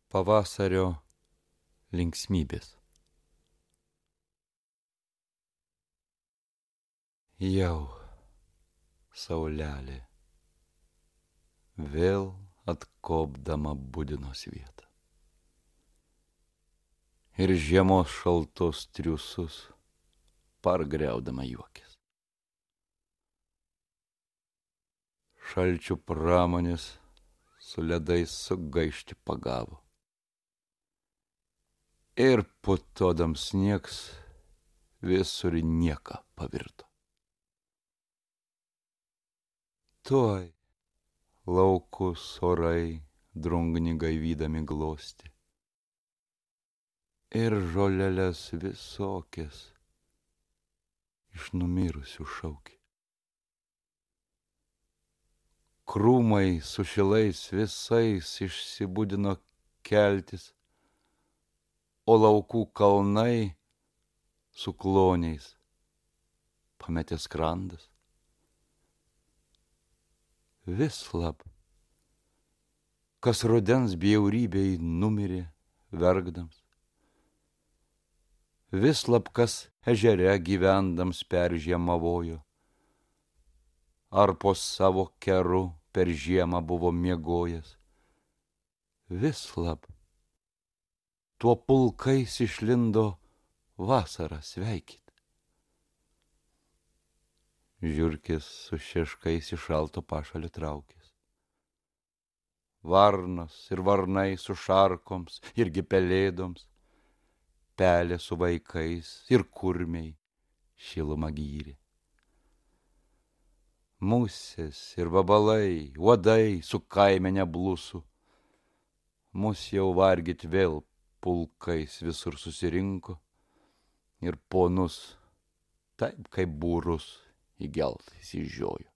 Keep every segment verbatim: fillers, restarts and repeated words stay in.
Pavasario linksmybės. Jau saulelė vėl atkopdama budinos vietą ir žiemos šaltos triusus pargriaudama juokės. Šalčių pramonės su ledais sugaišti pagavo ir putodams sniegs visur nieką pavirto. Tuoj laukus orai drungni gaivydami glosti ir žoleles visokias iš numirusių šaukia. Krūmai su šilais visais išsibudino keltis, o laukų kalnai su kloniais pametė skrandas. Vis lab, kas rudens bjaurybei numirė verkdams, vis lab, kas ežere gyvendams peržiemavojo, ar po savo keru per žiemą buvo miegojęs, vis lab, tuo pulkais išlindo vasarą sveikyt. Žiurkės su šeškais iš šalto pašalio traukės. Varnos ir varnai su šarkoms irgi pelėdoms, pelė su vaikais ir kurmiai šilumą gyrė. Musės ir vabalai, uodai su kaimene blusų, mus jau vargyt vėl pulkais visur susirinko ir ponus taip kaip būrus įgelt įsižiojo.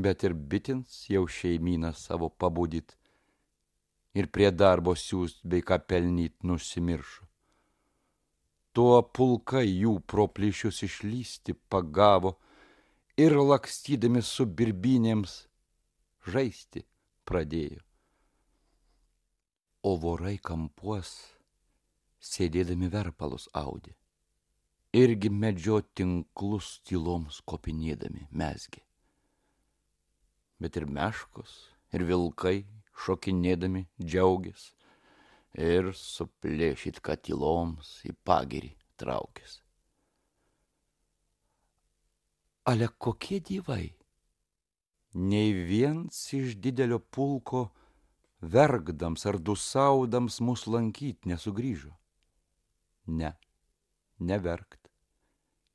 Bet ir bitins jau šeimyną savo pabudyt ir prie darbo siūst bei ką pelnyt nusimiršo. Tuo pulkai jų pro plyšius išlysti pagavo ir lakstydami su birbynėms žaisti pradėjo. O vorai kampuos sėdėdami verpalus audė. Irgi medžio tinklus tyloms kopinėdami mezgė. Bet ir meškos, ir vilkai šokinėdami džiaugės ir suplėšyt, kad tyloms į pagirį traukės. Ale kokie dievai? Nei viens iš didelio pulko verkdams ar dusaudams mus lankyt nesugrįžo. Ne, neverkt.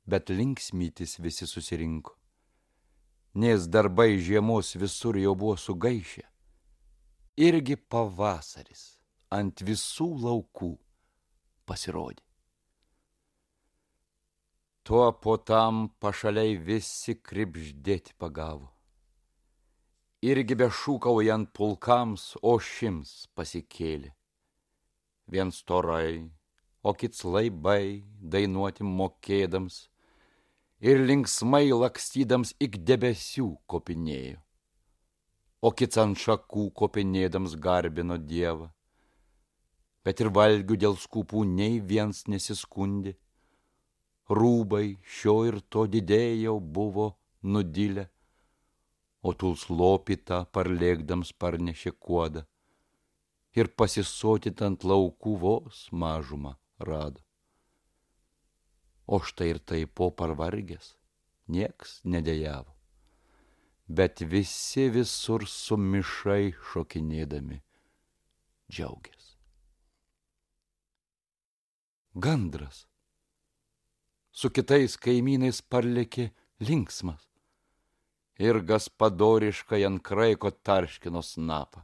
Bet linksmytis visi susirinko, nes darbai žiemos visur jau buvo sugaišę. Irgi pavasaris ant visų laukų pasirodė. Tuo po tam pašaliai visi kribždėti pagavo. Irgi bešūkaujant pulkams ošims pasikėlė. Vien storai, o kits laibai dainuoti mokėdams, ir linksmai lakstydams ik debesių kopinėjo, o kits ant šakų kopinėdams garbino Dievą. Bet ir valgių dėl skūpų nei viens nesiskundė, rūbai šio ir to didėjau buvo nudilę, o tuls lopytą parlėkdams parnešė kuodą ir pasisotyt ant laukų vos mažumą rado. O štai ir taip po parvargęs nieks nedejavo, bet visi visur sumišai šokinėdami džiaugės. Gandras su kitais kaimynais parlėkė linksmas ir gaspadoriškai ant kraiko tarškino snapą.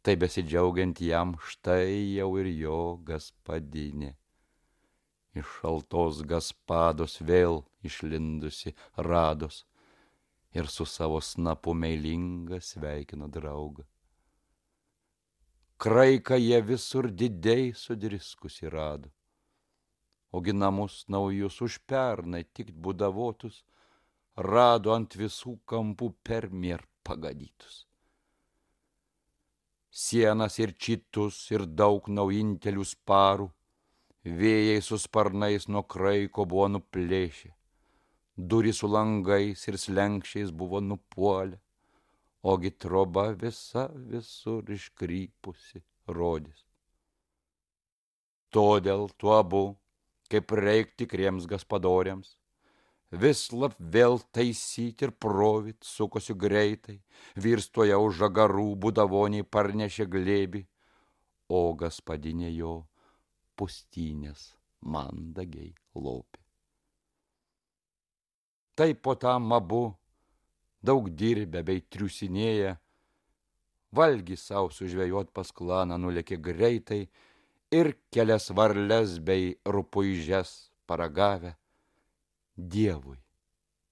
Tai besidžiaugiant jam štai jau ir jo gaspadinė. Iš šaltos gaspados vėl išlindusi rados ir su savo snapu meilinga sveikino draugą. Kraiką jie visur didiai sudriskusi rado, ogi namus naujus už pernai tik būdavotus rado ant visų kampų permier pagadytus. Sienas ir čitus ir daug naujintelių sparų, vėjai su sparnais nuo kraiko buvo nuplėšę, durys su langais ir slenkščiais buvo nupuolę, ogi troba visa visur iškrypusi rodys. Todėl tu abu, kaip reik tikriems gaspadoriams, vis lab vėl taisyt ir provit sukosi greitai, virstoja už žagarų būdavoniai parnešė glėbį, o gaspadinė jo pustynės mandagiai lopė. Taip po tam abu, daug dirbę bei triusinėję, valgį sau sužvejot pas klaną nulėkė greitai ir kelias varles bei rupuižes paragavę, Dievui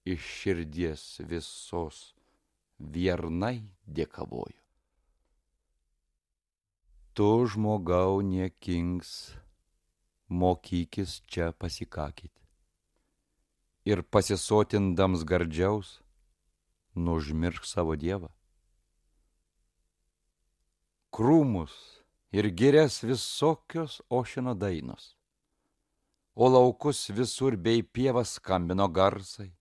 iš širdies visos viernai dėkavojo. Tu, žmogau, niekings, mokykis čia pasikakyt ir pasisotindams gardžiaus nužmiršk savo Dievą. Krūmus ir girias visokios ošino dainos, o laukus visur bei pievas skambino garsai,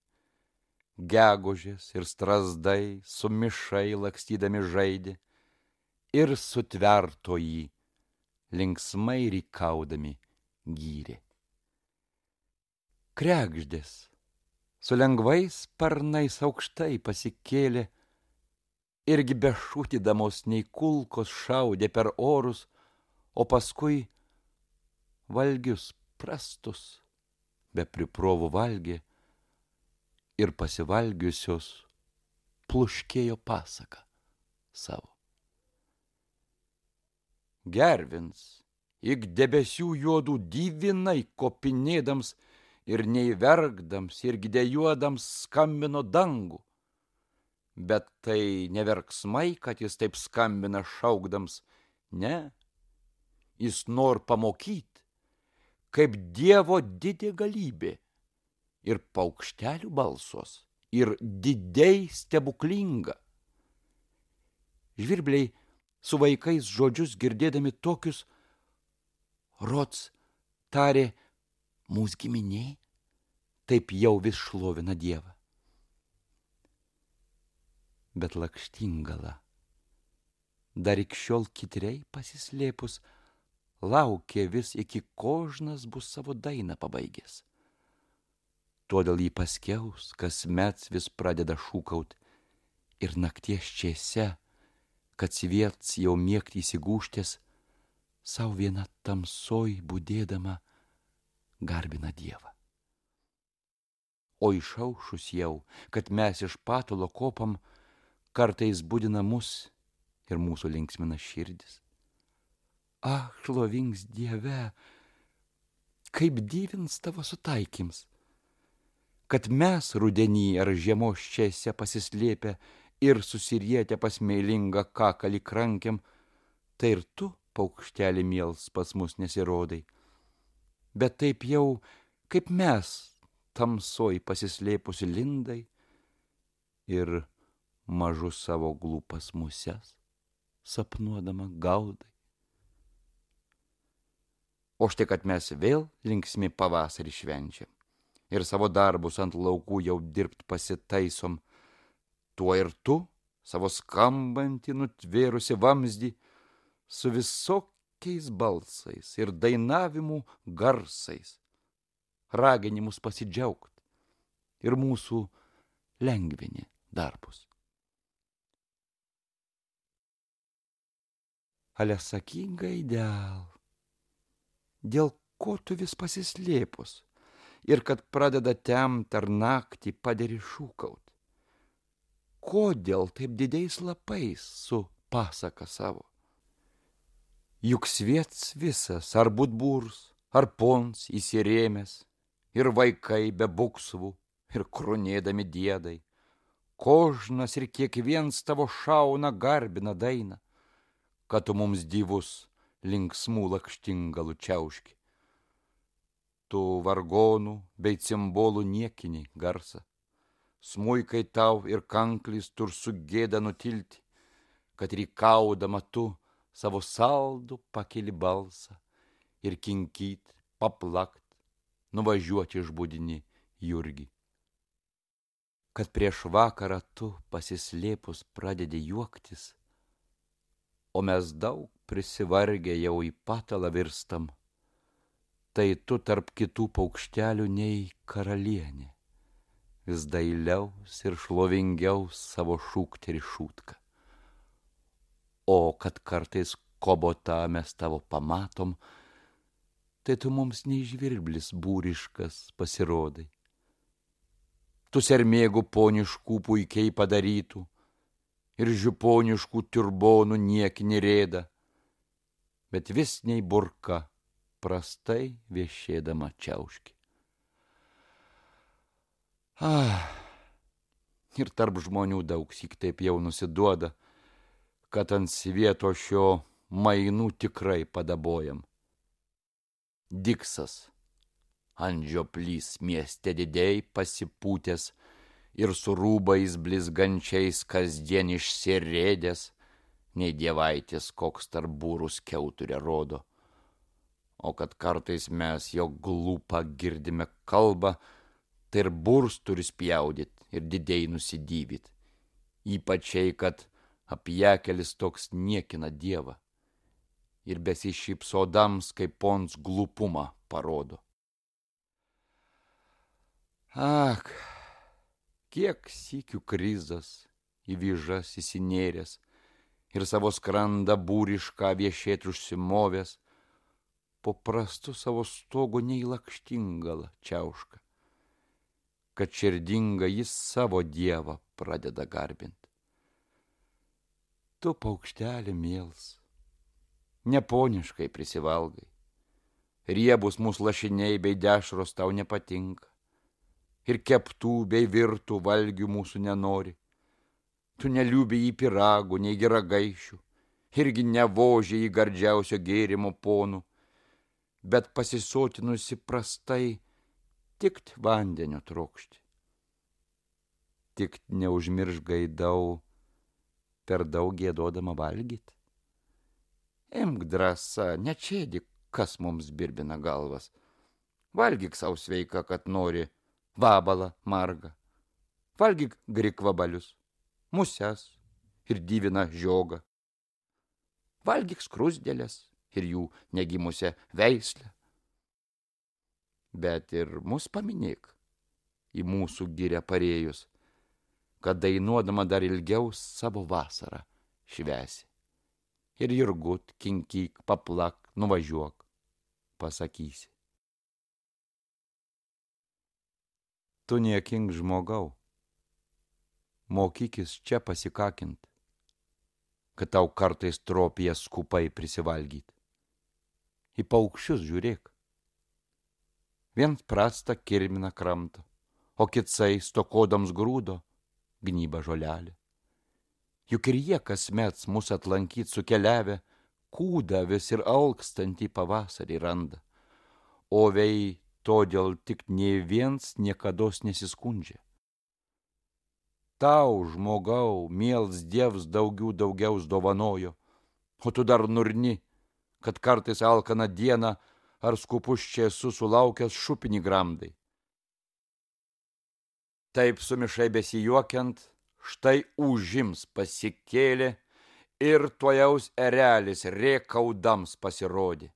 gegužės ir strazdai sumišai lakstydami žaidė ir sutverto jį linksmai rykaudami gyrė. Kregždės su lengvais sparnais aukštai pasikėlė, irgi bešūtydamos nei kulkos šaudė per orus, o paskui valgius prastus be priprovų valgė ir pasivalgiusios pluškėjo pasaką savo. Gervins, ik debesių juodų divinai kopinėdams ir nei verkdams ir gidejuodams skambino dangų, bet tai ne verksmai, kad jis taip skambina šaukdams, ne, jis nor pamokyt, kaip Dievo didė galybė ir paukštelių balsos ir didiai stebuklinga. Žvirbliai su vaikais žodžius girdėdami tokius, rods tarė, mūs giminė, taip jau vis šlovina Dievą. Bet Lakštingala, dar iki šiol kitriai pasislėpus, laukė vis iki kožnas bus savo dainą pabaigęs. Todėl jį paskiaus, kasmet vis pradeda šūkaut ir nakties čiese, kad sviets jau miegt įsigūštės, sau viena tamsoj budėdama garbina Dievą. O išaušus jau, kad mes iš patulo kopam, kartais budina mus ir mūsų linksmina širdis. Ach, šlovings Dieve, kaip divins tavo sutaikyms, kad mes rudenį ar žiemos čiese pasislėpę ir susirietę pas meilingą kakalį krankiam, tai ir tu, paukštelį miels, pas mus nesirodai. Bet taip jau, kaip mes, tamsoj pasislėpusi lindai ir mažus savo glūpas muses, sapnuodama gaudai. O štai, kad mes vėl linksmi pavasarį švenčiam ir savo darbus ant laukų jau dirbt pasitaisom, tuo ir tu, savo skambantį nutvėrusi vamzdį, su visokiais balsais ir dainavimų garsais, raginimus pasidžiaugt ir mūsų lengvini darbus. Ale sakyk, gaidel, dėl ko tu vis pasislėpus ir kad pradeda temt ar naktį paderi šūkaut? Kodėl taip dideis lapais su pasaka savo? Juk sviets visas, ar būdbūrs, ar pons įsirėmęs, ir vaikai be buksvų, ir krunėdami diedai, kožnas ir kiekviens tavo šauna garbina dainą, kad tu mums divus linksmų lakštingalų čiauški. Tu vargonų bei cimbolų niekini garsą, smuikai tau ir kanklis tur sugėda nutilti, kad rykaudama tu savo saldų pakeli balsą ir kinkyt, paplakt, nuvažiuoti išbudini Jurgį. Kad prieš vakarą tu pasislėpus pradedi juoktis, o mes daug prisivargę jau į patalą virstam, tai tu tarp kitų paukštelių nei karalienė, vis dailiaus ir šlovingiau savo šūkterį šūtką. O kad kartais kobotą mes tavo pamatom, tai tu mums nei žvirblis būriškas pasirodai. Tu sermėgų poniškų puikiai padarytų ir žiuponiškų turbonų niekinį rėdą, bet vis nei burka prastai viešėdama čiauški. Ah, ir tarp žmonių daug syk taip jau nusiduoda, kad ant svieto šio mainų tikrai padabojam. Diksas ant žioplys mieste didėjai pasipūtęs ir su rūbais blizgančiais kasdien išsirėdęs, nei dievaitis koks tarp būrų skiauturę rodo. O kad kartais mes jo glūpą girdime kalbą, tai ir būrs turi spjaudyt ir didėjai nusidyvyt, ypačiai, kad apjekelis toks niekina dievą ir besišypsodams kaip pons glūpumą parodo. Ak, kiek sykių krizas į vyžas įsinėręs ir savo skrandą būrišką viešėt užsimovęs, po prastu savo stogu nei lakštingala čiauška, kad širdinga jis savo dievą pradeda garbint. Tu, paukštelė miels, neponiškai prisivalgai, riebus mūsų lašiniai bei dešros tau nepatinka, ir keptų bei virtų valgių mūsų nenori. Tu neliūbi į piragų, nei geragaišių, irgi nevoži į gardžiausio gėrimo ponų, bet pasisotinusi prastai tikt vandenio trokšti. Tik neužmirš gaidau per daug gėdodama valgyt. Imk drąsa, nečėdik, kas mums birbina galvas. Valgyk sau sveika, kad nori vabalą margą. Valgyk grikvabalius, muses ir dyvina žiogą. Valgyk skrusdėlės ir jų negimusią veislę. Bet ir mus paminėk į mūsų girią parėjus, kad dainuodama dar ilgiau savo vasarą švęsi. Ir jurgut, kinkyk, paplak, nuvažiuok, pasakysi. Tu niekink žmogau, mokykis čia pasikakint, kad tau kartais tropijas skupai prisivalgyt. Į paukščius žiūrėk. Vien prasta kirmina kramto, o kitsai stokodams grūdo gnyba žolelė. Juk ir jie kasmet mus atlankyt sukeliavę, kūdą vis ir alkstantį pavasarį randa. O vei todėl tik nė viens niekados nesiskundžia. Tau, žmogau, miels dievs daugiau daugiaus dovanojo, o tu dar nurni, kad kartais alkaną dieną ar skupus čia esu sulaukęs šupinį gramdai. Taip sumišai besijuokiant, štai užims pasikėlė ir tuojaus erelis rėkaudams pasirodė.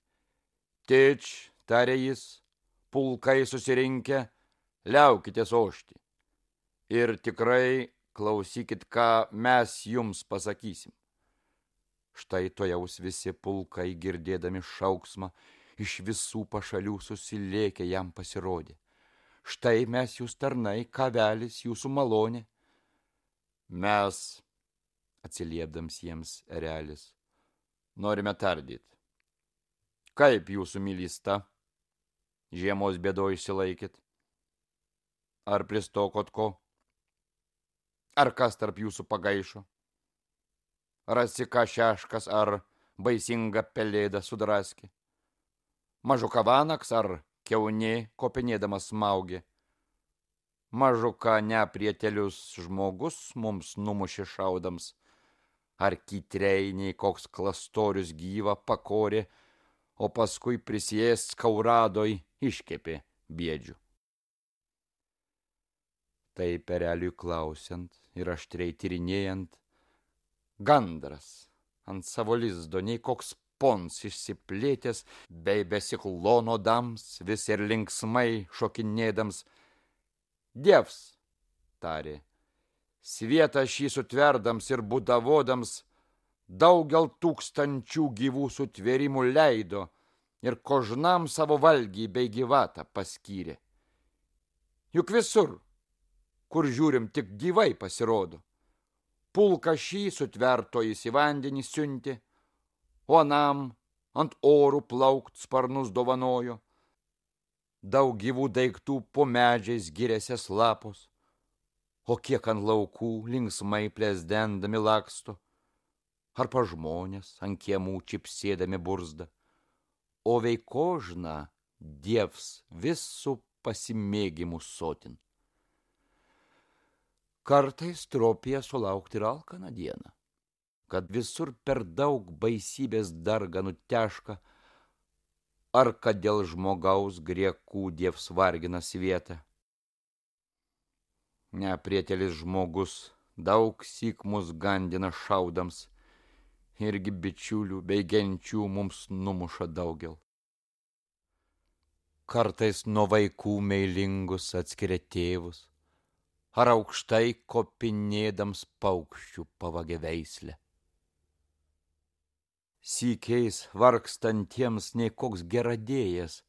Tič, tarė jis, pulkai susirinkę, liaukitės ošti. Ir tikrai klausykit, ką mes jums pasakysim. Štai tuojaus visi pulkai, girdėdami šauksmą, iš visų pašalių susilėkę jam pasirodė. Štai mes jūs tarnai, kavelis jūsų malonė. Mes, atsiliepdams jiems erelis, norime tardyt. Kaip jūsų mylysta? Žiemos bėdoj išsilaikit? Ar pristokot ko? Ar kas tarp jūsų pagaišo? Rasika šeškas ar baisinga pelėda sudraskė? Mažuka vanaks ar kiaunė kopinėdamas smaugė? Mažuka neprietelius žmogus mums numušė šaudams? ar kytreiniai koks klastorius gyvą pakorė, o paskui prisijęs skauradoj iškepė biedžių. Tai pereliui klausiant ir aštriai tyrinėjant, gandras ant savo lizdo nei koks pons išsiplėtęs, bei besiklonodams vis ir linksmai šokinėdams, Dievs, tarė, svietą šį sutverdams ir budavodams, daugel tūkstančių gyvų sutvėrimų leido ir kožnam savo valgį bei gyvatą paskyrė. Juk visur, kur žiūrim, tik gyvai pasirodo. Pulką šį sutvertojais į vandenį siuntė, o anam ant orų plaukt sparnus dovanojo. Daug gyvų daiktų po medžiais giriasias lapos, o kiek ant laukų linksmai plesdendami laksto, ar pa žmonės ant kiemų čipsėdami burzda, o veikožna Dievs visų pasimėgimų sotin. Kartais tropija sulaukti ir alkaną dieną, kad visur per daug baisybės darganų teška, ar kad dėl žmogaus griekų Dievs vargina svietą. Neprietelis žmogus daug syk mus gandina šaudams, irgi bičiulių bei genčių mums numuša daugel. Kartais nuo vaikų meilingus atskiria tėvus, ar aukštai kopinėdams paukščių pavagė veislę. Sykiais vargstantiems nei koks geradėjas,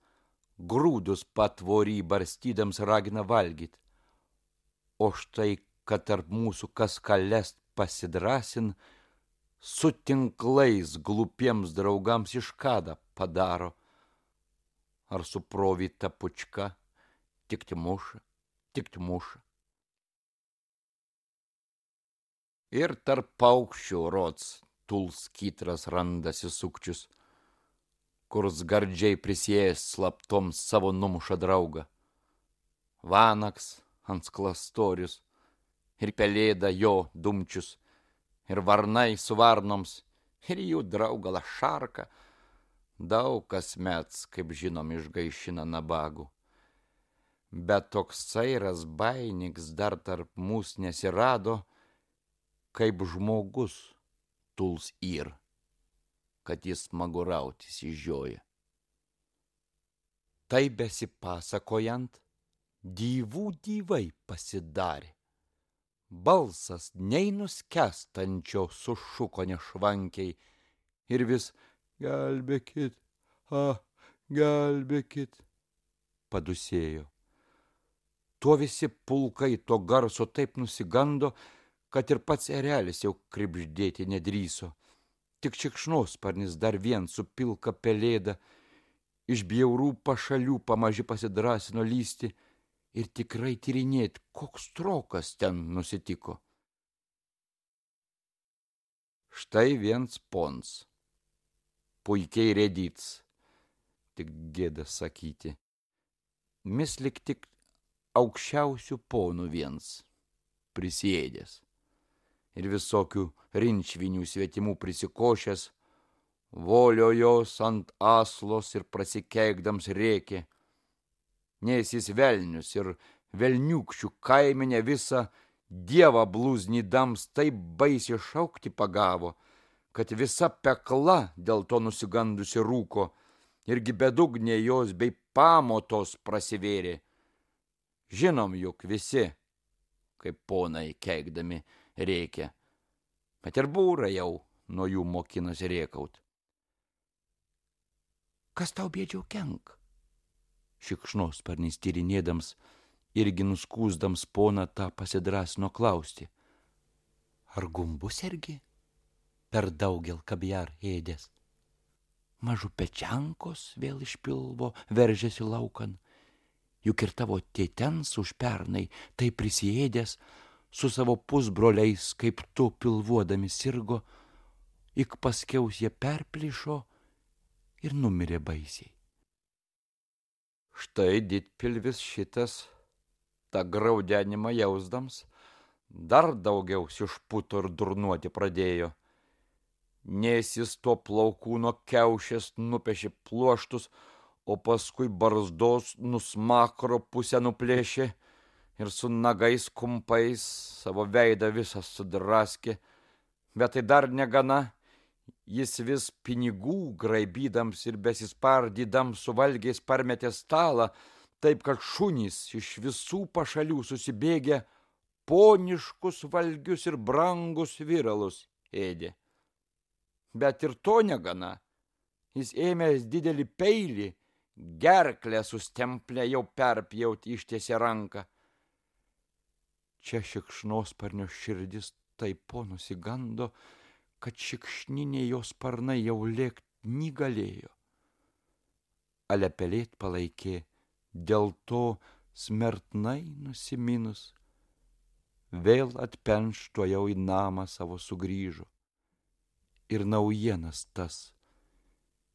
grūdus patvorį barstydams ragina valgyt, o štai, kad tarp mūsų kas kalest pasidrasin, su tinklais glupiems draugams iškadą padaro, ar su provyta pučka, tikti muša, tikti muša. Ir tarp paukščių rods tulskytras randasi sukčius, kurs gardžiai prisėjęs slaptoms savo numuša draugą. Vanaks ant sklastorius, ir pelėda jo dumčius, ir varnai su varnoms, ir jų draugalą šarką, daug kas mets, kaip žinom, išgaišina nabagų. Bet toks sairas bainiks dar tarp mūs nesirado, kaip žmogus tuls yr, kad jis smagurautis išžioja. Tai besipasakojant, dyvų dyvai pasidarė. Balsas nei nuskestančio sušuko nešvankiai ir vis gelbėkit, a, gelbėkit, padusėjo. Tuo visi pulkai to garso taip nusigando, kad ir pats erelis jau kribždėti nedrįso. Tik šikšnosparnis dar vien su pilka pelėda iš bjaurų pašalių pamaži pasidrasino lysti ir tikrai tyrinėt, koks trokas ten nusitiko. Štai viens pons, puikiai rėdyts, tik gėda sakyti, mis lik tik aukščiausių ponų viens, prisėdęs. Ir visokių rinčvinių svetimų prisikošęs, volio jos ant aslos ir prasikeikdams rėkė. Nes jis velnius ir velniukščių kaimenę visą dievą blūznydams taip baisiai šaukti pagavo, kad visa pekla dėl to nusigandusi rūko, irgi bedugnė jos bei pamotos prasivėrė. Žinom juk visi, kaip ponai keikdami rėkia, bet ir būra jau nuo jų mokinas rėkaut. Kas tau bėdžiau kenk? Šikšnosparnis tyrinėdams, irgi nuskūsdams poną tą pasidrasino klausti. Ar gumbus ergi per daugel kabjar ėdės? Mažu pečiankos vėl iš pilvo veržėsi laukan, juk ir tavo tėtens už pernai tai prisiėdęs, su savo pusbroliais, kaip tu pilvuodami sirgo, ik paskiaus jie perplyšo ir numirė baisiai. Štai didpilvis šitas, tą graudenimą jausdams, dar daugiau išputo ir durnuoti pradėjo Nes jis to plaukų nuo kiaušės nupešė pluoštus, o paskui barzdos nusmakro pusę nuplėšė ir su nagais kumpais savo veidą visą sudraskė. Bet tai dar negana, jis vis pinigų graibydams ir besispardydams su valgiais parmetė stalą, taip kad šunys iš visų pašalių susibėgę poniškus valgius ir brangus viralus ėdė. Bet ir to negana, jis ėmęs didelį peilį, gerklę sustemplę jau perpjauti ištiesė ranką. Čia šikšnosparnio širdis taip po nusigando, kad šikšniniai jos sparnai jau lėkt negalėjo. Ale pelėt palaikė, dėl to smertnai nusiminus, vėl atpenšto jau į namą savo sugrįžo. Ir naujienas tas,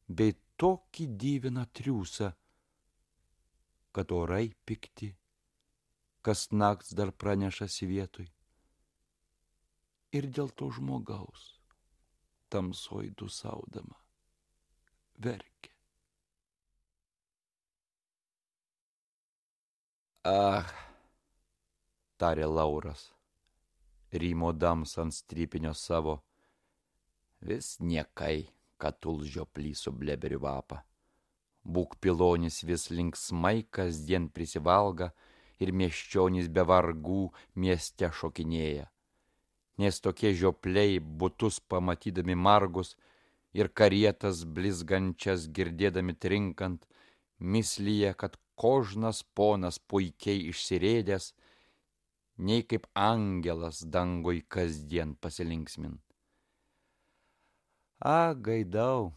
bei tokį dyviną triūsą, kad orai pikti, kas nakts dar pranešasi vietoj. Ir dėl to žmogaus, tamsoj dusaudama, verkia. Ah, tarė Lauras, rymodams ant strypinio savo, vis niekai, kad tulžioplį su bleberiu vapą. Būk pilonis vis linksmai kasdien prisivalga ir miesčionys be vargų mieste šokinėja. Nes tokie žiopliai butus pamatydami margus ir karietas blizgančias girdėdami trinkant, mislyje, kad kožnas ponas puikiai išsirėdęs, nei kaip angelas dangoj kasdien pasilinksmin. A, gaidau,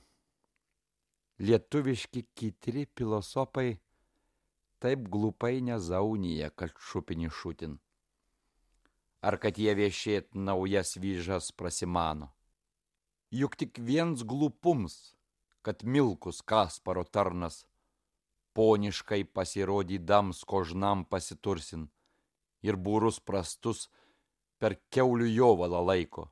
lietuviški kitri filosofai taip glupai nezaunija, kad šupinį šutin. Ar kad jie viešėt naujas vyžas prasimano. Juk tik viens glupums, kad Milkus Kasparo tarnas poniškai pasirodydams kožnam pasitursin ir būrus prastus per kiaulių jovalą laiko.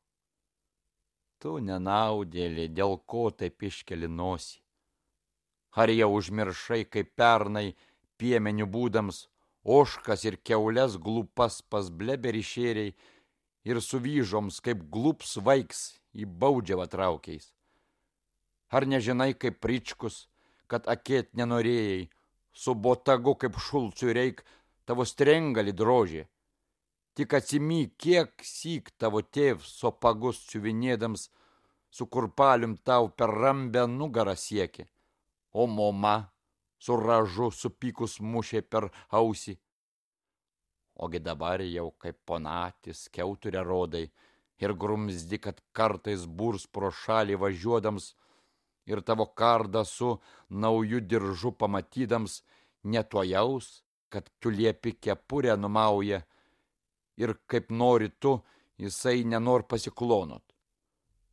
Tu nenaudėlė, dėl ko taip iškeli nosį. Ar jau užmiršai, kaip pernai piemenių būdams ožkas ir kiaules glupas pas bleberį šėriai ir su vyžoms kaip glups vaiks į baudžiavą traukiais? Ar nežinai, kaip Pričkus, kad akėt nenorėjai, su botagu kaip Šulcui reik tavo strengalį drožė? Tik atsimyk, kiek syk tavo tėvs sopagus siuvinėdams su kurpalium tau per rambę nugarą siekė, o mama su ražu supykus mušė per ausį. Ogi dabar jau kaip ponatis kiauturę rodai ir grumzdi, kad kartais burs pro šalį važiuodams ir tavo kardą su nauju diržu pamatydams netuojaus, kad tu liepi kepurę numauja ir kaip nori tu, jisai nenor pasiklonot.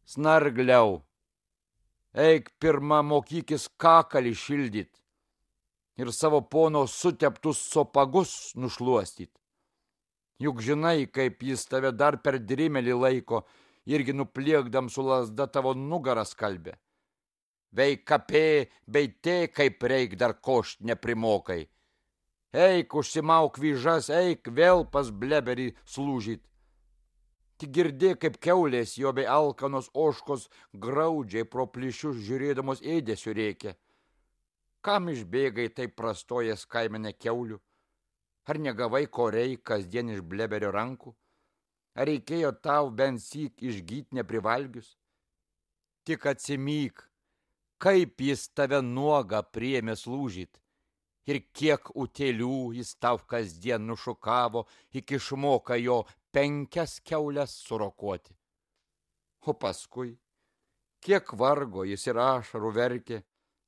Snargliau, eik pirma mokykis kakalį šildyt ir savo pono suteptus sopagus nušluostyt. Juk žinai, kaip jis tave dar per drimelį laiko, irgi nupliekdam su lazda tavo nugarą skalbė. Veik kapė, beitė, kaip reik dar košt neprimokai. Eik, užsimauk vyžas, eik vėl pas bleberį slūžyt. Tik girdė, kaip kiaulės jo bei alkanos ožkos graudžiai pro plyšius žiūrėdamos ėdesiu rėkia. Kam išbėgai taip prastojas kaimene kiaulių? Ar negavai ko reik kasdien iš bleberio rankų? Ar reikėjo tau bent syk išgyt neprivalgius? Tik atsimyk, kaip jis tave nuogą priėmė slūžyt. Ir kiek utėlių jis tau kasdien nušukavo, iki išmoka jo penkias kiaules surokuoti. O paskui, kiek vargo jis ir ašarų verkė,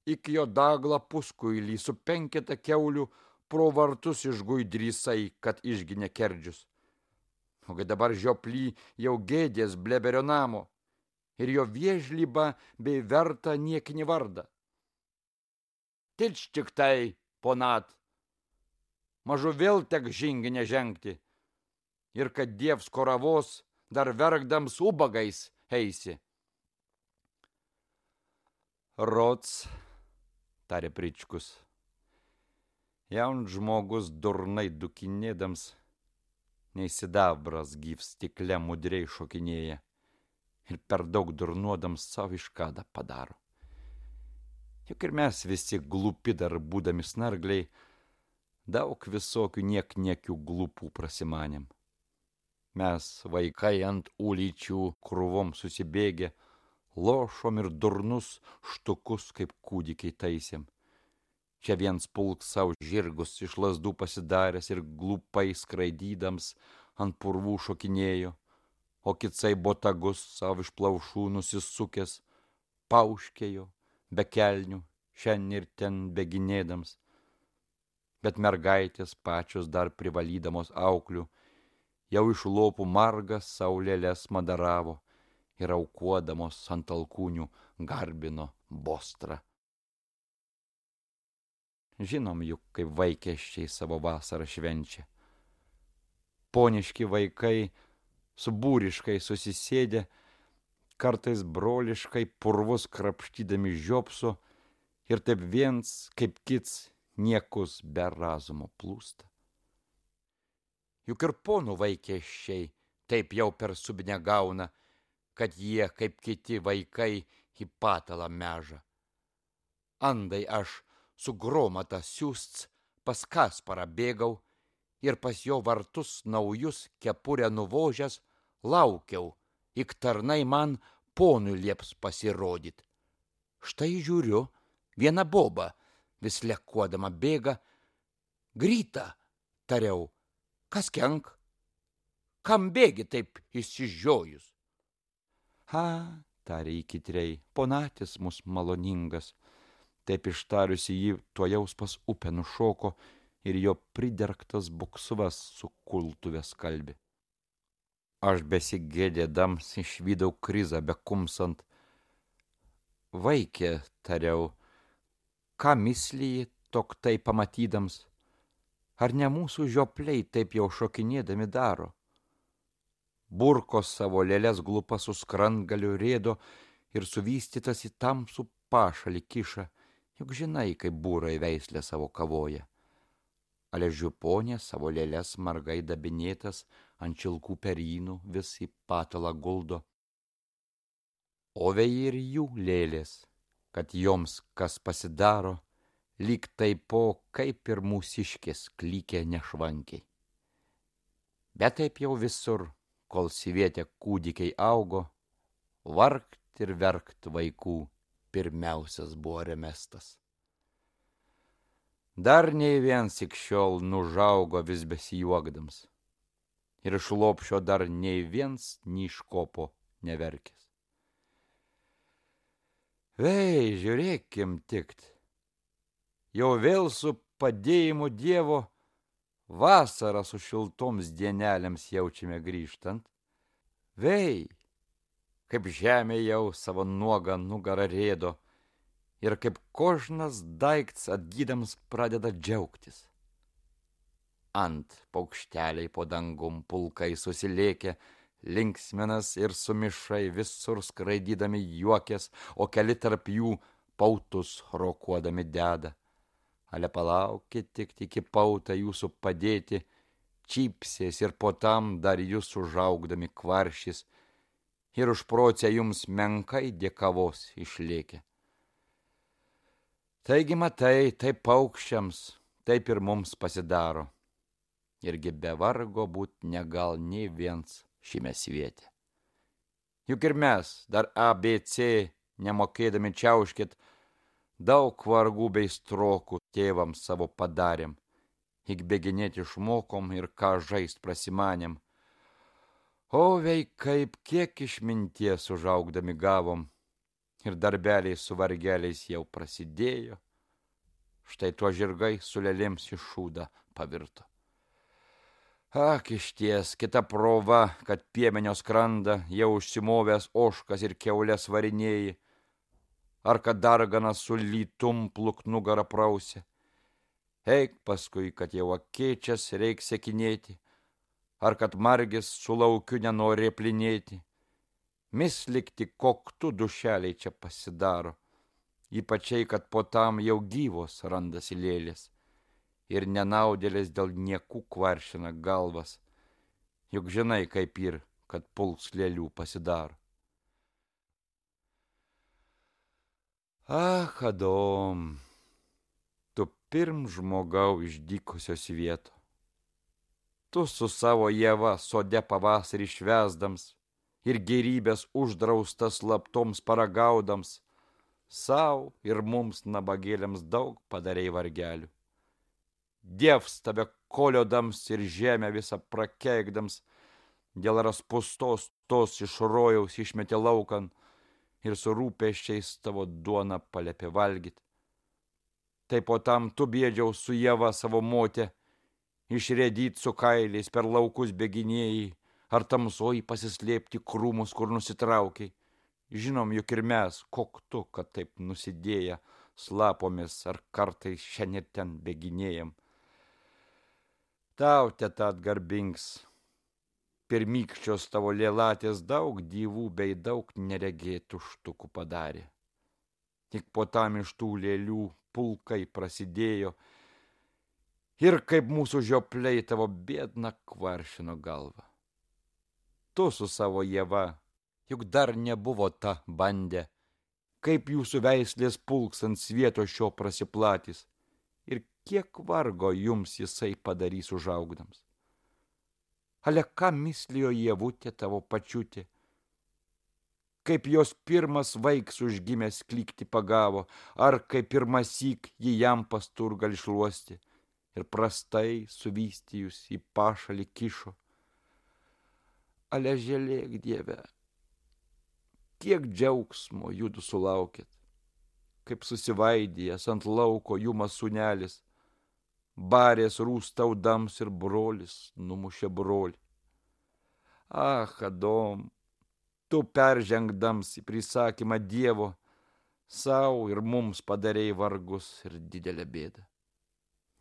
iki jo daglą puskuilį su penketa kiaulių pro vartus išguidrysai, kad išginė kerdžius. Ogi dabar žioplį jau gėdės bleberio namo ir jo viežlybą bei vertą niekinį vardą. Tič tik tai, ponat, mažu vėl tek žinginę žengti, ir kad dievs koravos dar verkdams ubagais eisi. Rods, tarė Pričkus. Jaunas žmogus durnai dukinėdams, nei sidabras gyvs stikle mudriai šokinėja ir per daug durnuodams savo iškadą padaro. Juk ir mes visi glupi dar būdami snargliai, daug visokių niek niekių glupų prasimanėm. Mes, vaikai ant ulyčių krūvom susibėgę, lošom ir durnus štukus kaip kūdikiai taisėm. Čia viens pulk savo žirgus iš lazdų pasidaręs ir glupai skraidydams ant purvų šokinėjo, o kitsai botagus savo iš plaušų nusisukęs, pauškėjo, be kelnių, šiandien ir ten beginėdams. Bet mergaitės pačios dar privalydamos auklių, jau iš lopų margas saulėlės madaravo ir aukuodamos ant alkūnių garbino bostrą. Žinom juk, kaip vaikėščiai savo vasarą švenčia. Poniški vaikai subūriškai susisėdė, kartais broliškai purvus krapštydami žiopso ir taip viens kaip kits niekus be razumo plūsta. Juk ir ponų vaikėščiai taip jau per subinę gauna, kad jie, kaip kiti vaikai, į patalą meža. Andai aš su gromata siūsts pas Kasparą bėgau ir pas jo vartus naujus kepurę nuvožęs laukiau, ik tarnai man ponui lieps pasirodyt. Štai žiūriu, viena boba vis lekuodama bėga. Gryta, tariau, kas kenk? Kam bėgi taip išsižiojus? Ha, tarė įkitrei, ponatis mus maloningas. Taip ištariusi jį tuojaus pas upę nušoko ir jo pridergtas buksvas su kultuve skalbi. Aš besigėdėdams išvydau Krizą bekumsant. Vaikė, tariau, ką mislyji toktai pamatydams? Ar ne mūsų žiopliai taip jau šokinėdami daro? Burkos savo lėles glupa su skrandgaliu rėdo ir suvystytas į tamsų pašalį kiša, juk žinai, kaip būrai veislė savo kavoja. Ale žiuponė savo lėles margai dabinėtas ant šilkų perynų vis į patalą guldo. O vei ir jų lėlės, kad joms kas pasidaro, lyg taipo kaip ir mūsiškės klykė nešvankiai. Bet taip jau visur, kol sivietė kūdikiai augo, vargt ir verkt vaikų pirmiausias buvo remestas. Dar nei viens ik šiol nužaugo vis besijuokdams, ir iš lopšio dar nei viens niškopo neverkės. Vei, žiūrėkim tikt, jau vėl su padėjimu Dievo vasarą su šiltoms dienelėms jaučiame grįžtant. Vei, kaip žemė jau savo nuogą nugarą rėdo ir kaip kožnas daikts atgydams pradeda džiaugtis. Ant paukšteliai po dangum pulkai susilėkė, linksminas ir sumišai visur skraidydami juokės, o keli tarp jų pautus rokuodami deda. Ale palaukit tik iki pautą jūsų padėti, čypsės ir po tam dar jūs užaugdami kvaršys ir užprocę jums menkai dėkavos išlėkė. Taigi matai, taip paukščiams, taip ir mums pasidaro. Irgi be vargo būt negal nei viens šime svietė. Juk ir mes, dar A B C nemokėdami čiauškit, daug vargų bei strokų tėvams savo padarėm, ik beginėti išmokom ir ką žaist prasimanėm. O vei kaip kiek išminties užaugdami gavom, ir darbeliai su vargeliais jau prasidėjo, štai tuo žirgai su lėlėms į šūdą pavirto. Ak, išties, kita prova, kad piemenio skranda, jau užsimovęs ožkas ir kiaulės varinėji, ar kad darganas su lytum pluk nugarą prausė. Eik paskui, kad jau akėčias reik sekinėti, ar kad margis su laukiu nenori plinėti. Mislikti koktu dušeliai čia pasidaro, ypačiai, kad po tam jau gyvos randasi lėlės ir nenaudėlės dėl niekų kvaršina galvas, juk žinai, kaip ir, kad pulks lėlių pasidaro. Ach, Adom, tu pirm žmogau iš dykusios vieto. Tu su savo Ieva sode pavasarį švesdams ir gerybės uždraustas slaptoms paragaudams, sau ir mums nabagėliams daug padarei vargelių. Dievs tave koliodams ir žemę visą prakeikdams, dėl raspustos tos iš rojaus išmetė laukan ir su rūpesčiais tavo duoną palėpė valgyt. Tai po tam tu bėdžiau su Ieva savo motė, išrėdyt su kailiais per laukus bėginėjai, ar tamsoj pasislėpti krūmus, kur nusitraukiai. Žinom, juk ir mes, kok tu, kad taip nusidėję, slapomis ar kartais šiandien ten bėginėjam. Tau, teta, atgarbinks, pirmykščios tavo lėlatės daug dievų bei daug neregėtų štukų padarė. Tik po tam iš tų lėlių pulkai prasidėjo ir kaip mūsų žiopliai tavo biedną kvaršino galvą. Tu su savo Ieva, juk dar nebuvo ta bandė, kaip jūsų veislės pulks ant svieto šio prasiplatys ir kiek vargo jums jisai padarys užaugdams. Ale ką mislijo Ievutė tavo pačiutė, kaip jos pirmas vaiks užgimęs klykti pagavo, ar kaip pirmasyk jį jam pasturgal išluosti ir prastai suvystijus į pašalį kišo. Ale žėlėk, Dieve, kiek džiaugsmo judu sulaukėt, kaip susivaidėjęs ant lauko jumas sūnelis, barės rūstaudams ir brolis numušė brolį. Ach, Adom, tu peržengdams į prisakymą Dievo, sau ir mums padarei vargus ir didelę bėdą.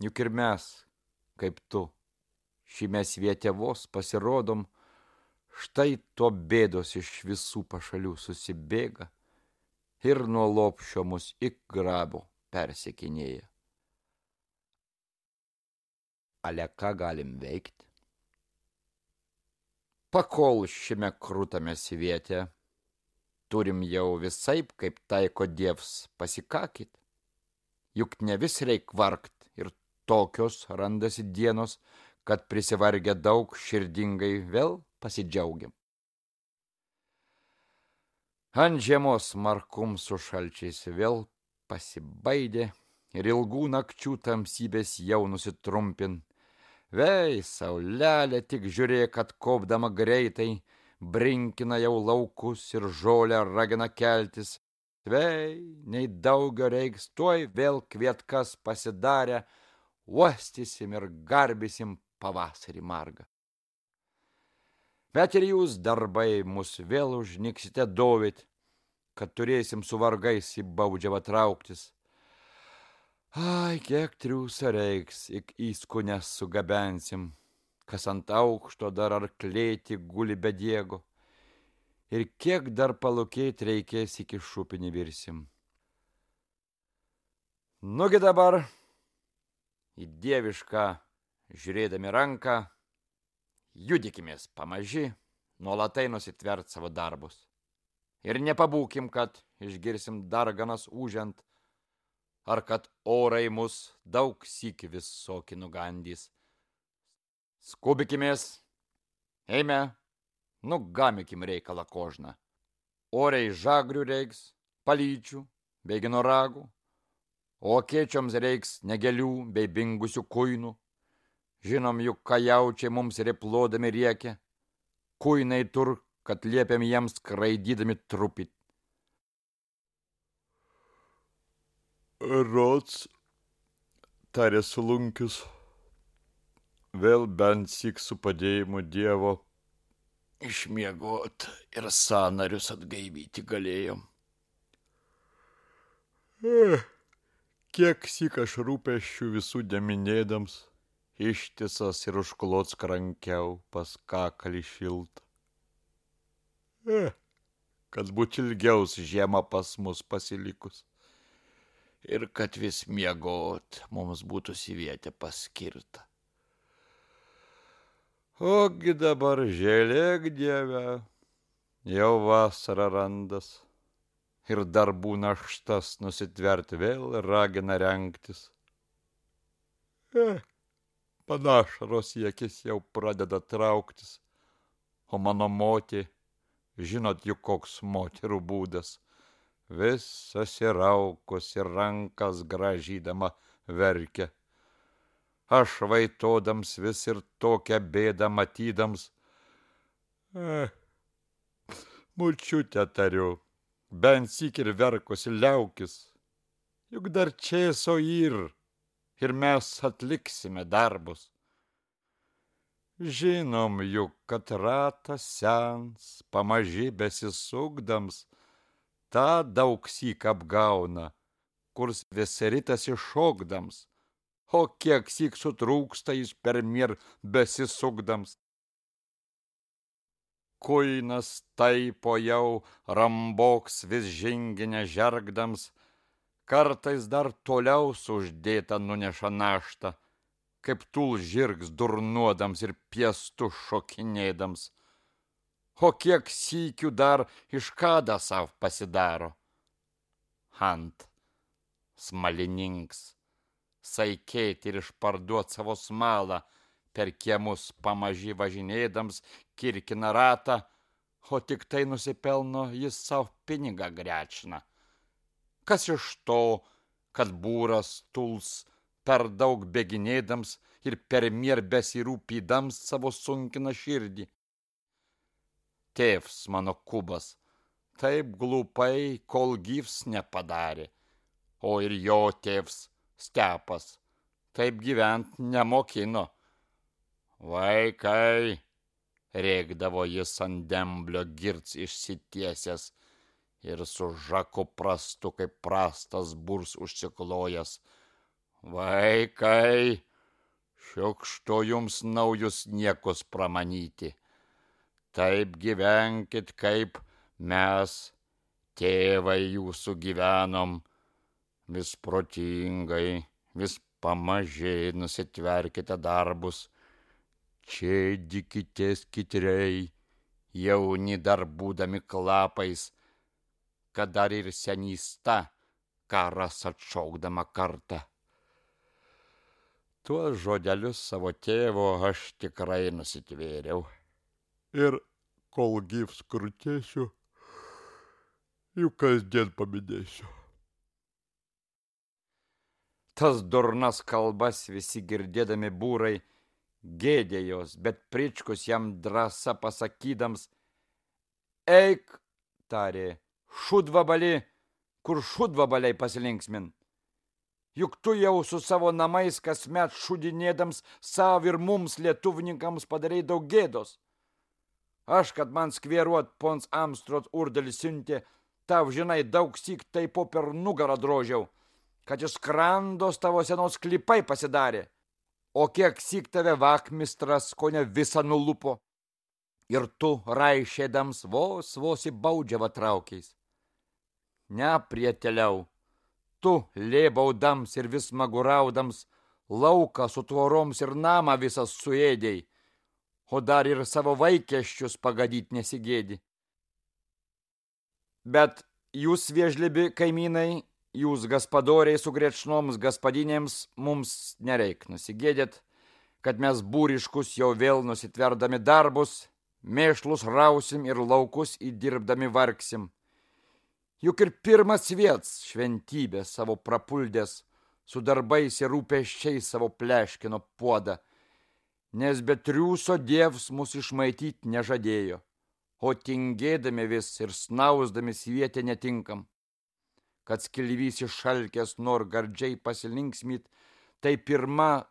Juk ir mes, kaip tu, šime sviete vos pasirodom, štai to bėdos iš visų pašalių susibėga ir nuo lopšio mus ik grabo persekinėja. Ale ką galim veikti? Pakol šiame krūtame sviete turim jau visaip, kaip taiko Dievs, pasikakit. Juk ne vis reik vargt ir tokios randasi dienos, kad prisivargę daug širdingai vėl pasidžiaugiam. Ant žiemos markum su šalčiais vėl pasibaidė ir ilgų nakčių tamsybės jau nusitrumpin. Vei, saulelė, tik žiūrėk, kad kopdama greitai brinkina jau laukus ir žolę ragina keltis. Vei, nei daugio reiks, tuoj vėl kvietkas pasidarę, uostysim ir garbysim pavasarį margą. Bet ir jūs, darbai, mus vėl užniksite dovyt, kad turėsim su vargais į baudžiavą trauktis. Ai, kiek triūsa reiks, ik įskunes sugabensim, kas ant aukšto dar arklėti guli be diego, ir kiek dar palūkėt reikės iki šupinį virsim. Nugi dabar, į dievišką žiūrėdami ranką, judikimės pamaži, nuolatai nusitvert savo darbus. Ir nepabūkim, kad išgirsim darganas užent, ar kad orai mus daug sykių visokį nugandys. Skubikimės, eime, nugamikim reikalą kožną. Oriai žagrių reiks, palyčių, bei ginoragų, o kėčioms reiks negelių bei bingusių kuinų. Žinom juk, ką jaučiai mums replodami riekia, kuinai tur, kad liepiam jiems skraidydami trupit. Rods, tarė Sulunkius, vėl bent syk su padėjimu Dievo išmiegot ir sąnarius atgaivyti galėjom. Eh, kiek syk aš rūpesčių visų deminėdams, ištisas ir užklot skrankiau pas kakalį šiltą. Eh, kad būt ilgiaus žiema pas mus pasilikus. ir kad vis miegot mums būtų sivietė paskirta. Ogi dabar žėlėk, Dieve, jau vasara randas ir darbų naštas nusitverti vėl ragina rengtis. Eh, panašaros į akis jau pradeda trauktis, o mano motė, žinot juk koks moterų būdas, vis susiraukus ir rankas gražydama verkia. Aš vaitodams vis ir tokią bėdą matydams, eh, močiute tariu, bent syk ir verkusi liaukis, juk dar čėso yr, ir mes atliksime darbus. Žinom juk, kad ratas sens, pamaži besisukdams, tą daug syk apgauna, kurs vis ritas iššokdams, o kiek syk sutrūksta jis per mir besisukdams. Kuinas taipo jau ramboks vis žinginę žergdams, kartais dar toliau uždėta nuneša naštą, kaip tul žirgs durnuodams ir piestu šokinėdams. O kiek sykių dar iš kada sav pasidaro. Ant smalininks, saikėti ir išparduot savo smalą, per kiemus pamaži važinėdams kirkina ratą, o tik tai nusipelno jis savo pinigą grečina. Kas iš to, kad būras tuls per daug bėginėdams ir per mier besirūpydams savo sunkina širdį? Tėvs mano Kubas taip glupai, kol gyvs nepadarė, o ir jo tėvs Stepas taip gyvent nemokino. Vaikai, rėkdavo jis ant demblio girts išsitiesęs ir su žaku prastu kaip prastas burs užsiklojęs. Vaikai, šiukštu jums naujus niekus pramanyti. Taip gyvenkit, kaip mes, tėvai jūsų gyvenom, vis protingai, vis pamažiai nusitverkite darbus. Čėdykitės kitrei, jauni dar būdami klapais, kad dar ir senysta karas atšaukdama kartą. Tuos žodelius savo tėvo aš tikrai nusitvėriau. Ir kol gyvs krutėsiu, jų kasdien paminėsiu. Tas durnas kalbas visi girdėdami būrai gėdėjos, bet Pričkus jam drąsa pasakydams, eik, tarė, šudvabali, kur šudvabaliai pasilinksmin. Juk tu jau su savo namais kasmet šudinėdams sav ir mums lietuvininkams padarai daug gėdos. Aš, kad man skvieruot pons Amstrot urdalis siuntė, tau žinai daug syk taipo per nugarą drožiau, kad iš skrandos tavo senos klipai pasidarė. O kiek syk tave vakmistras kone visą nulupo, ir tu raišėdams vos vos į baudžiavą traukiais. Ne, prieteliau, tu lėbaudams ir vis maguraudams lauką su tvoroms ir namą visas suėdėjai, o dar ir savo vaikėščius pagadyt nesigėdi. Bet jūs, viežlibi kaimynai, jūs gaspadoriai su grečnoms gaspadinėms, mums nereik nusigėdėt, kad mes būriškus jau vėl nusitverdami darbus, mėšlus rausim ir laukus įdirbdami vargsim. Juk ir pirmas viets šventybė savo prapuldės, su darbais ir rūpesčiais savo pleškino puodą, nes be triūso dievs mus išmaityt nežadėjo, o tingėdami vis ir snausdami svietę netinkam. Kad skilvys iššalkęs nor gardžiai pasilinksmyt, tai pirma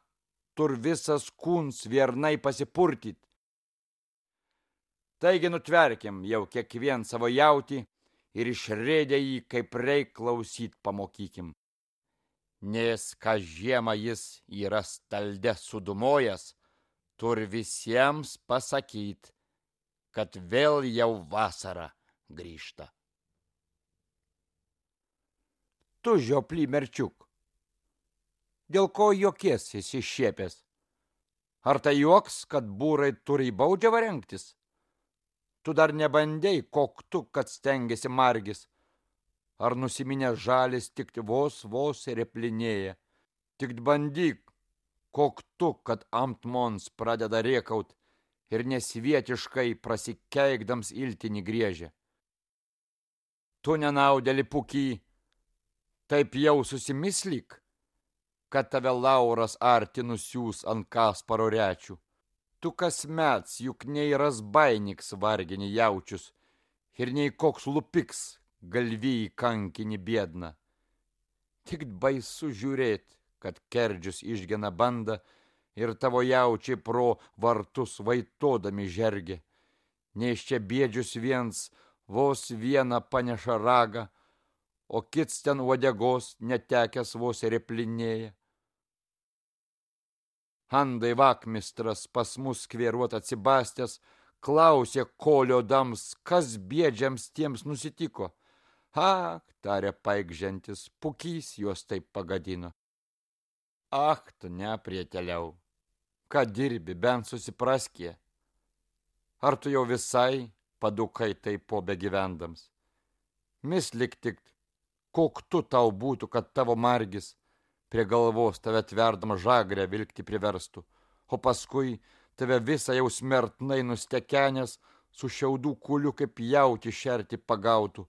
tur visas kūns viernai pasipurtyt. Taigi nutverkim jau kiekvien savo jautį ir išrėdę jį kaip reik klausyt pamokykim. Nes ką žiemą jis yra stalde sudumojęs, tur visiems pasakyt, kad vėl jau vasara grįžta. Tu, žioply merčiuk, dėl ko jokies įsišiepęs? Ar tai juoks, kad būrai turi į baudžiavą rengtis? Tu dar nebandei, kok tu, kad stengiasi margis. Ar nusiminęs žalis tik vos vos replinėja? Tik bandyk, kok tu, kad ant mons pradeda rėkaut ir nesvietiškai prasikeikdams iltinį griežia. Tu nenaudėli puky, taip jau susimislyk, kad tave Lauras arti nusiūs ant Kasparo rečių. Tu kasmets juk nei razbainiks vargini jaučius ir nei koks lupiks galvijai kankinį biedną. Tik baisu žiūrėt, kad kerdžius išgena bandą ir tavo jaučiai pro vartus vaitodami žergia. Nes čia bėdžius viens vos vieną paneša ragą, o kits ten uodegos netekęs vos replinėja. Andai vakmistras pas mus skvėruot atsibastęs, klausė koliodams, kas bėdžiams tiems nusitiko. Ak, tarė paikžentis, pukys juos taip pagadino. Ak, tu neprieteliau, ką dirbi, bent susipraskė. Ar tu jau visai padukai taip po begyvendams? Mislik tik, kok tu tau būtų, kad tavo margis prie galvos tave tverdama žagrę vilkti priverstų, o paskui tave visą jau smertnai nustekenęs su šiaudų kuliu kaip jauti šerti pagautų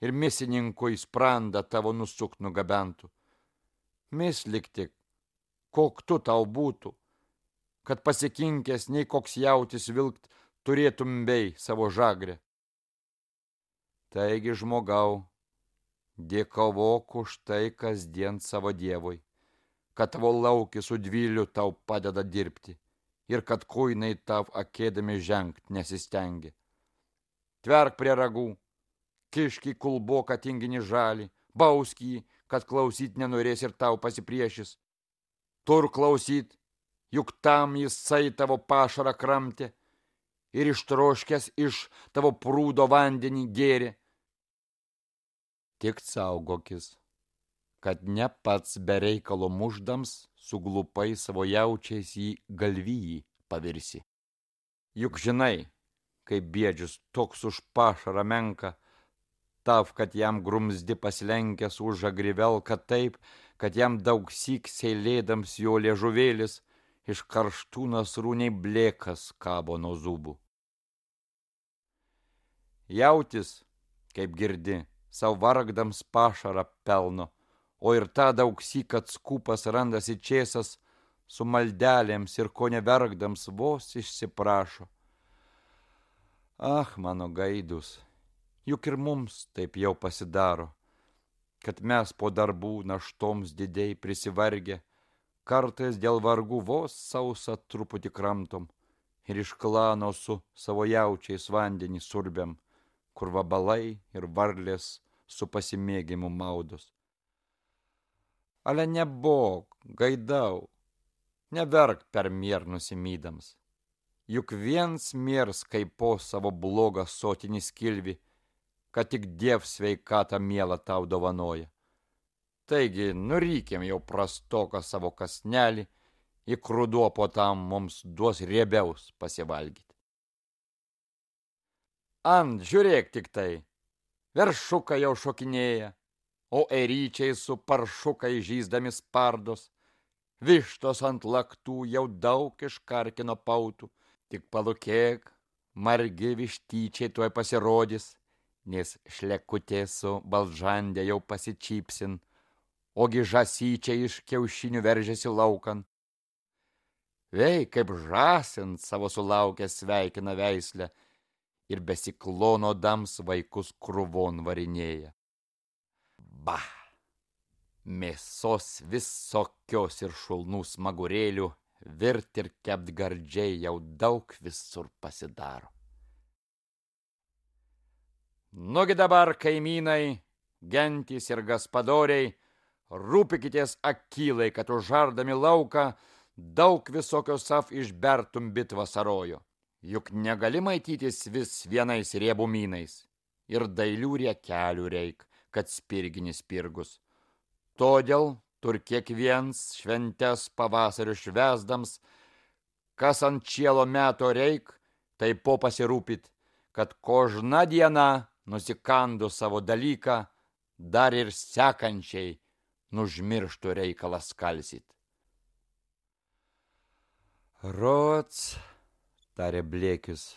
ir misininko į sprandą tavo nusukt nugabentų. Mislik tik, kok tu tau būtų, kad pasikinkęs nei koks jautis vilkt turėtum bei savo žagrę. Taigi, žmogau, dėkavok už tai kasdien savo dievui, kad tavo laukis su dvyliu tau padeda dirbti ir kad kuinai tau akėdami žengt nesistengia. Tverk prie ragų, kišk į kulboką tinginį žalį, bausk jį, kad klausyt nenorės ir tau pasipriešis. Tur klausyt, juk tam jisai tavo pašarą kramtė ir ištroškęs iš tavo prūdo vandenį gėrė. Tik saugokis, kad ne pats be reikalo muždams suglupai savo jaučiais į galvijį pavirsi. Juk žinai, kaip bėdžius toks už pašarą menka, tav, kad jam grumzdi pasilenkęs už žagrivelka taip, kad jam daug syk seilėdams jo liežuvėlis iš karštų nasrūniai blėkas kabo nuo zubų. Jautis, kaip girdi, savo vargdams pašarą pelno, o ir tą daug syk, kad skūpas randasi čėsas su maldelėms ir ko nevergdams vos išsiprašo. Ah, mano gaidus, juk ir mums taip jau pasidaro, kad mes po darbų naštoms didiai prisivargę, kartais dėl vargų vos sausą truputį kramtom ir iš klano su savo jaučiais vandenį surbiam, kur vabalai ir varlės su pasimėgimu maudos. Ale nebok, gaidau, neverk per mier nusimydams. Juk viens miers kaip po savo blogą sotinį skilvi, kad tik diev sveikatą mielą tau dovanoja. Taigi, nurykim jau prastoką savo kasnelį, į kruduo po tam mums duos riebiaus pasivalgyti. Ant, žiūrėk tik tai, veršukai jau šokinėja, o eryčiai su paršukai žyzdami spardos, vištos ant laktų jau daug iškarkino pautų, tik palūkėk, margi vištyčiai tuoj pasirodys, nes šlekutė su balžandė jau pasičypsin, ogi žasyčiai iš kiaušinių veržiasi laukan. Vei, kaip žąsint savo sulaukę sveikina veislę ir besiklonodams vaikus krūvon varinėja. Bah, mėsos visokios ir šulnų smagurėlių virt ir kept gardžiai jau daug visur pasidaro. Nugi dabar, kaimynai, gentys ir gaspadoriai, rūpikitės akylai, kad užardami lauką daug visokios sav išbertum bit vasarojo. Juk negali maitytis vis vienais riebumynais ir dailių riekelių reik, kad spirginis spirgus. Todėl tur kiekviens šventes pavasario švesdams, kas ant čielo meto reik, tai po pasirūpit, kad kožna diena nusikandu savo dalyką, dar ir sekančiai nužmirštų reikalą skalsyt. Rods, tarė Blėkius,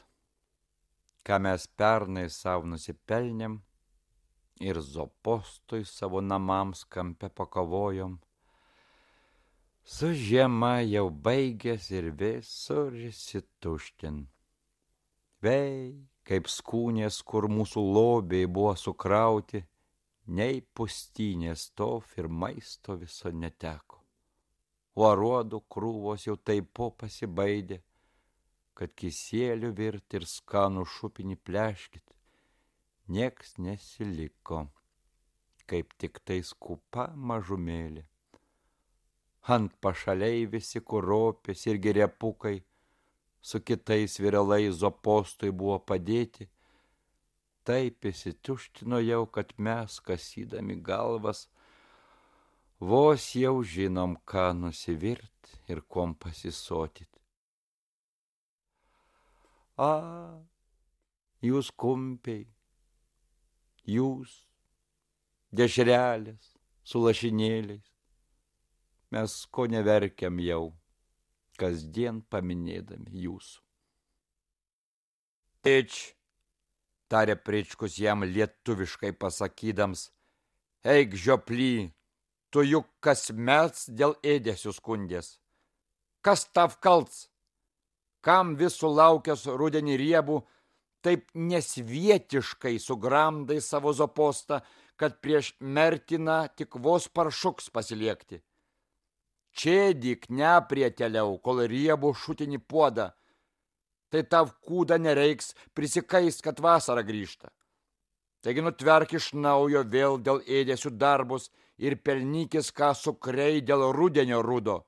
ką mes pernai savo nusipelnėm ir Zopostui savo namams kampe pakavojom, su žiema jau baigės ir visur įsituštin. Vei, kaip skūnės, kur mūsų lobiai buvo sukrauti, nei pustynės tov ir maisto viso neteko. O aruodų krūvos jau taip po pasibaidė, kad kisėlių virt ir skanų šupinį pleškit, nieks nesiliko, kaip tik tai skupa mažumėlė. Ant pašaliai visi kuropės ir gerepukai su kitais viralais Zopostui buvo padėti, taip įsituštino jau, kad mes, kasydami galvas, vos jau žinom, ką nusivirt ir kuom pasisotyt. A, jūs kumpiai, jūs, dešrelės su lašinėliais, mes ko neverkiam jau, kasdien paminėdami jūsų. Tėč, tarė Pričkus jam lietuviškai pasakydams, eik žioply, tu juk kasmet dėl ėdesių skundės. Kas tav kalts? Kam vis sulaukęs rudenį riebų, taip nesvietiškai sugramdai savo Zopostą, kad prieš mertiną tik vos paršuks pasiliekti? Čėdyk neprieteliau, kol riebų šutinį puodą, tai tav kūda nereiks prisikais, kad vasara grįžta. Taigi nutverk iš naujo vėl dėl ėdesių darbus ir pelnykis, ką sukrei dėl rudenio rudo.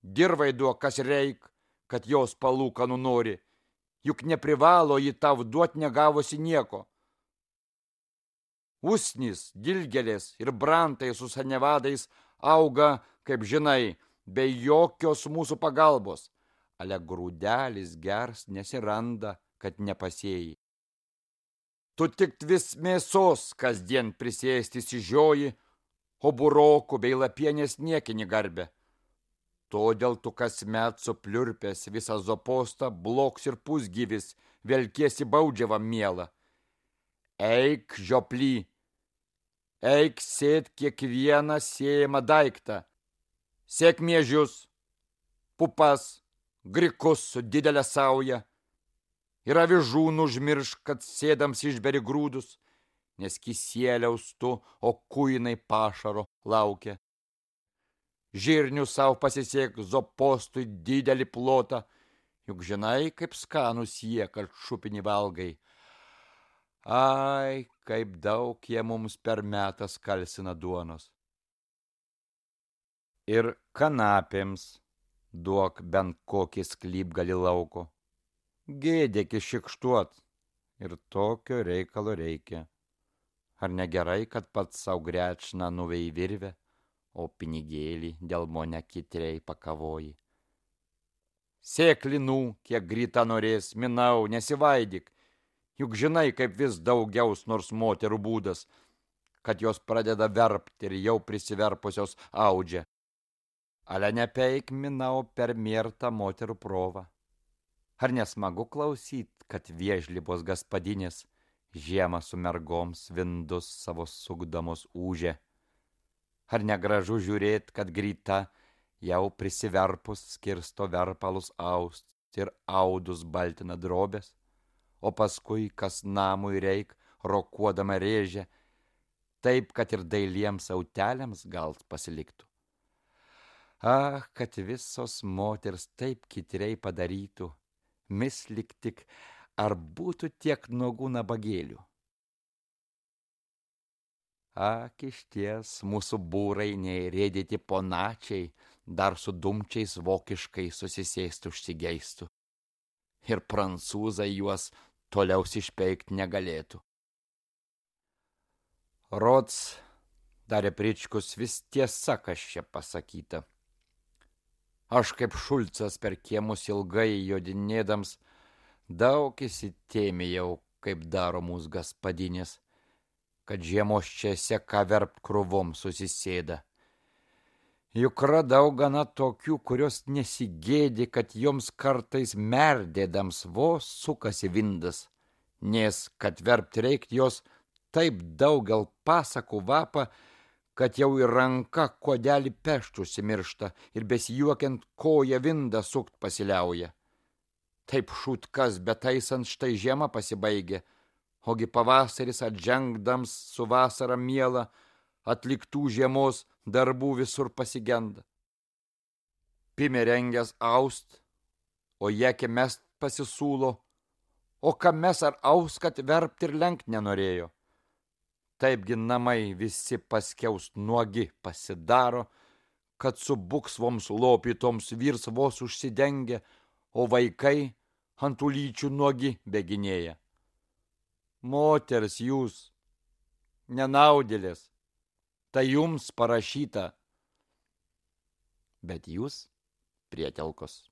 Dirvai duok, kas reik, kad jos palūkanų nori, juk neprivalo jį tav duot negavusi nieko. Usnys, dilgelės ir brantai su sanevadais auga, kaip žinai, be jokios mūsų pagalbos, ale grūdelis gers nesiranda, kad nepasėjai. Tu tik vis mėsos kasdien prisėsti sižioji, o burokų bei lapienės niekinį garbę. Todėl tu kasmet supliurpęs visą Zopostą, bloks ir pusgyvis, velkiesi baudžiavą mielą. Eik, žioply, eik sėt kiekvieną sėjamą daiktą, sėk miežius, pupas, grikus su didelė sauja, ir avižų nužmiršk, kad sėdams išberi grūdus, nes kisėliaus tu, o kuinai pašaro laukia. Žirnių savo pasisėk Zopostui didelį plotą, juk žinai, kaip skanus jie, kad šupinį valgai. Ai, kaip daug jie mums per metą skalsina duonos. Ir kanapėms duok bent kokį sklypgalį lauko. Gėdėk iššikštuot, ir tokio reikalo reikia. Ar negerai, kad pats sau grečną nuvei virvę, o pinigėlį dėl mone kitrei pakavoji? Sėk linų, kiek grita norės, minau, nesivaidyk, juk žinai, kaip vis daugiaus nors moterų būdas, kad jos pradeda verpt ir jau prisiverpusios audžia. Ale nepeik, minau, per miertą moterų provą. Ar nesmagu klausyt, kad viežlybos gaspadinės žiemą su mergoms vindus savo sukdamos ūžė? Ar negražu žiūrėt, kad grita jau prisiverpus skirsto verpalus aust ir audus baltina drobės, o paskui, kas namui reik, rokuodama rėžė, taip, kad ir dailiems auteliams gal pasiliktų? Ah, kad visos moters taip kitriai padarytų, mislik tik, ar būtų tiek nuogų nabagėlių. Ak, išties, mūsų būrai nei rėdyti ponačiai, dar su dumčiais vokiškai susisėstų užsigeistų. Ir prancūzai juos toliau išpeikt negalėtų. Rods, Darė Pričkus, vis tiesa, kas čia pasakyta. Aš kaip Šulcas per kiemus ilgai jodinėdams, daug įsitėmėjau, kaip daro mūsų gaspadinės, kad žiemos čia seka verpt krūvom susisėda. Juk radau gana tokių, kurios nesigėdi, kad joms kartais merdėdams vos sukasi vindas, nes, kad verpt reikt jos taip daugel pasakų vapa, kad jau į ranką kodelį peštų užsimiršta ir besijuokiant koja vindą sukt pasiliauja. Taip šutkas betaisant štai žiema pasibaigė, ogi pavasaris atžengdams su vasara miela atliktų žiemos darbų visur pasigenda. Pime rengęs aust, o jekė mest pasisūlo, o kam mes ar aus, kad verpt ir lenkt nenorėjo. Taipgi namai visi paskiaus nuogi pasidaro, kad su buksvoms lopytoms vyrs vos užsidengia, o vaikai ant ulyčių nuogi beginėja. Moters jūs, nenaudėlės, tai jums parašyta. Bet jūs, prietelkos,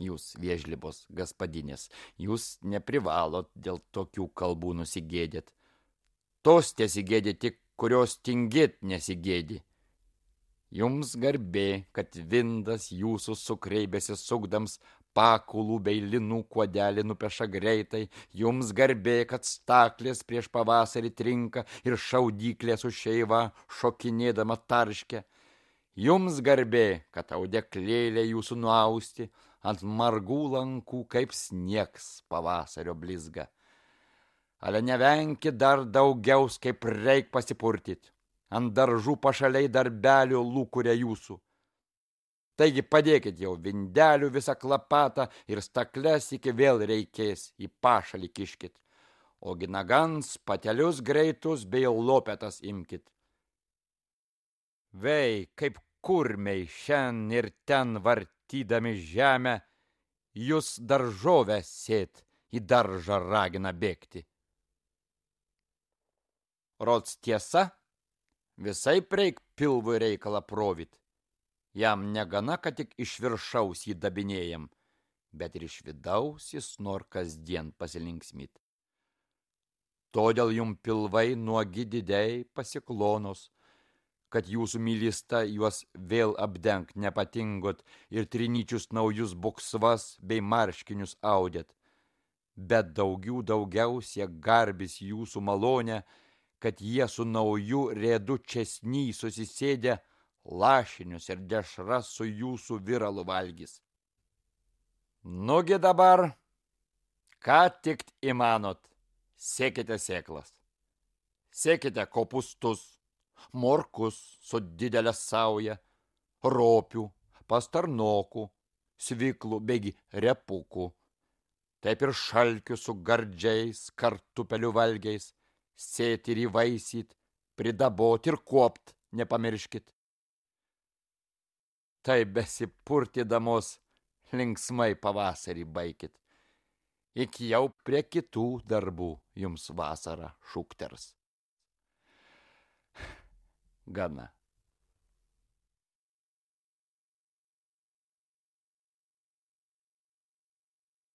jūs viežlibos gaspadinės, jūs neprivalot dėl tokių kalbų nusigėdėt. Tos tesigėdė tik, kurios tingėt nesigėdi. Jums garbė, kad vindas jūsų sukreibėsi sukdams pakulų bei linų kuodelį nupeša greitai. Jums garbė, kad staklės prieš pavasarį trinka ir šaudyklės už šeivą šokinėdama tarškia. Jums garbė, kad audeklėlė jūsų nuausti ant margų lankų kaip sniegs pavasario blizga. Ale nevenkit dar daugiaus, kaip reik pasipurtyt. Ant daržų pašaliai darbelio lūkuria jūsų. Taigi padėkit jau vindelių visą klapatą ir stakles iki vėl reikės į pašalį kiškit. O ginagans patelius greitus bei lopetas imkit. Vei, kaip kurmiai šen ir ten vartydami žemę, jūs daržovę sėt į daržą ragina bėgti. Rods tiesa, visai preik pilvui reikalą provit. Jam negana, kad tik iš viršaus jį dabinėjam, bet ir iš vidaus jis nor kasdien pasilinksmit. Todėl jum pilvai nuogi didei pasiklonos, kad jūsų mylista juos vėl apdengt nepatingot ir trinyčius naujus buksvas bei marškinius audėt. Bet daugiau daugiausia garbis jūsų malonę, kad jie su nauju rėdu česny susisėdė lašinius ir dešras su jūsų viralu valgys. Nugi dabar, ką tik įmanot, sėkite sėklas, sėkite kopustus, morkus su didelė sauja, ropių, pastarnokų, sviklų begi repukų, taip ir šalkių su gardžiais kartupelių valgiais, sėti ir įvaisyt, pridabot ir kuopt nepamirškit. Tai besipurtydamos linksmai pavasarį baikit. Iki jau prie kitų darbų jums vasara šukters. Gana.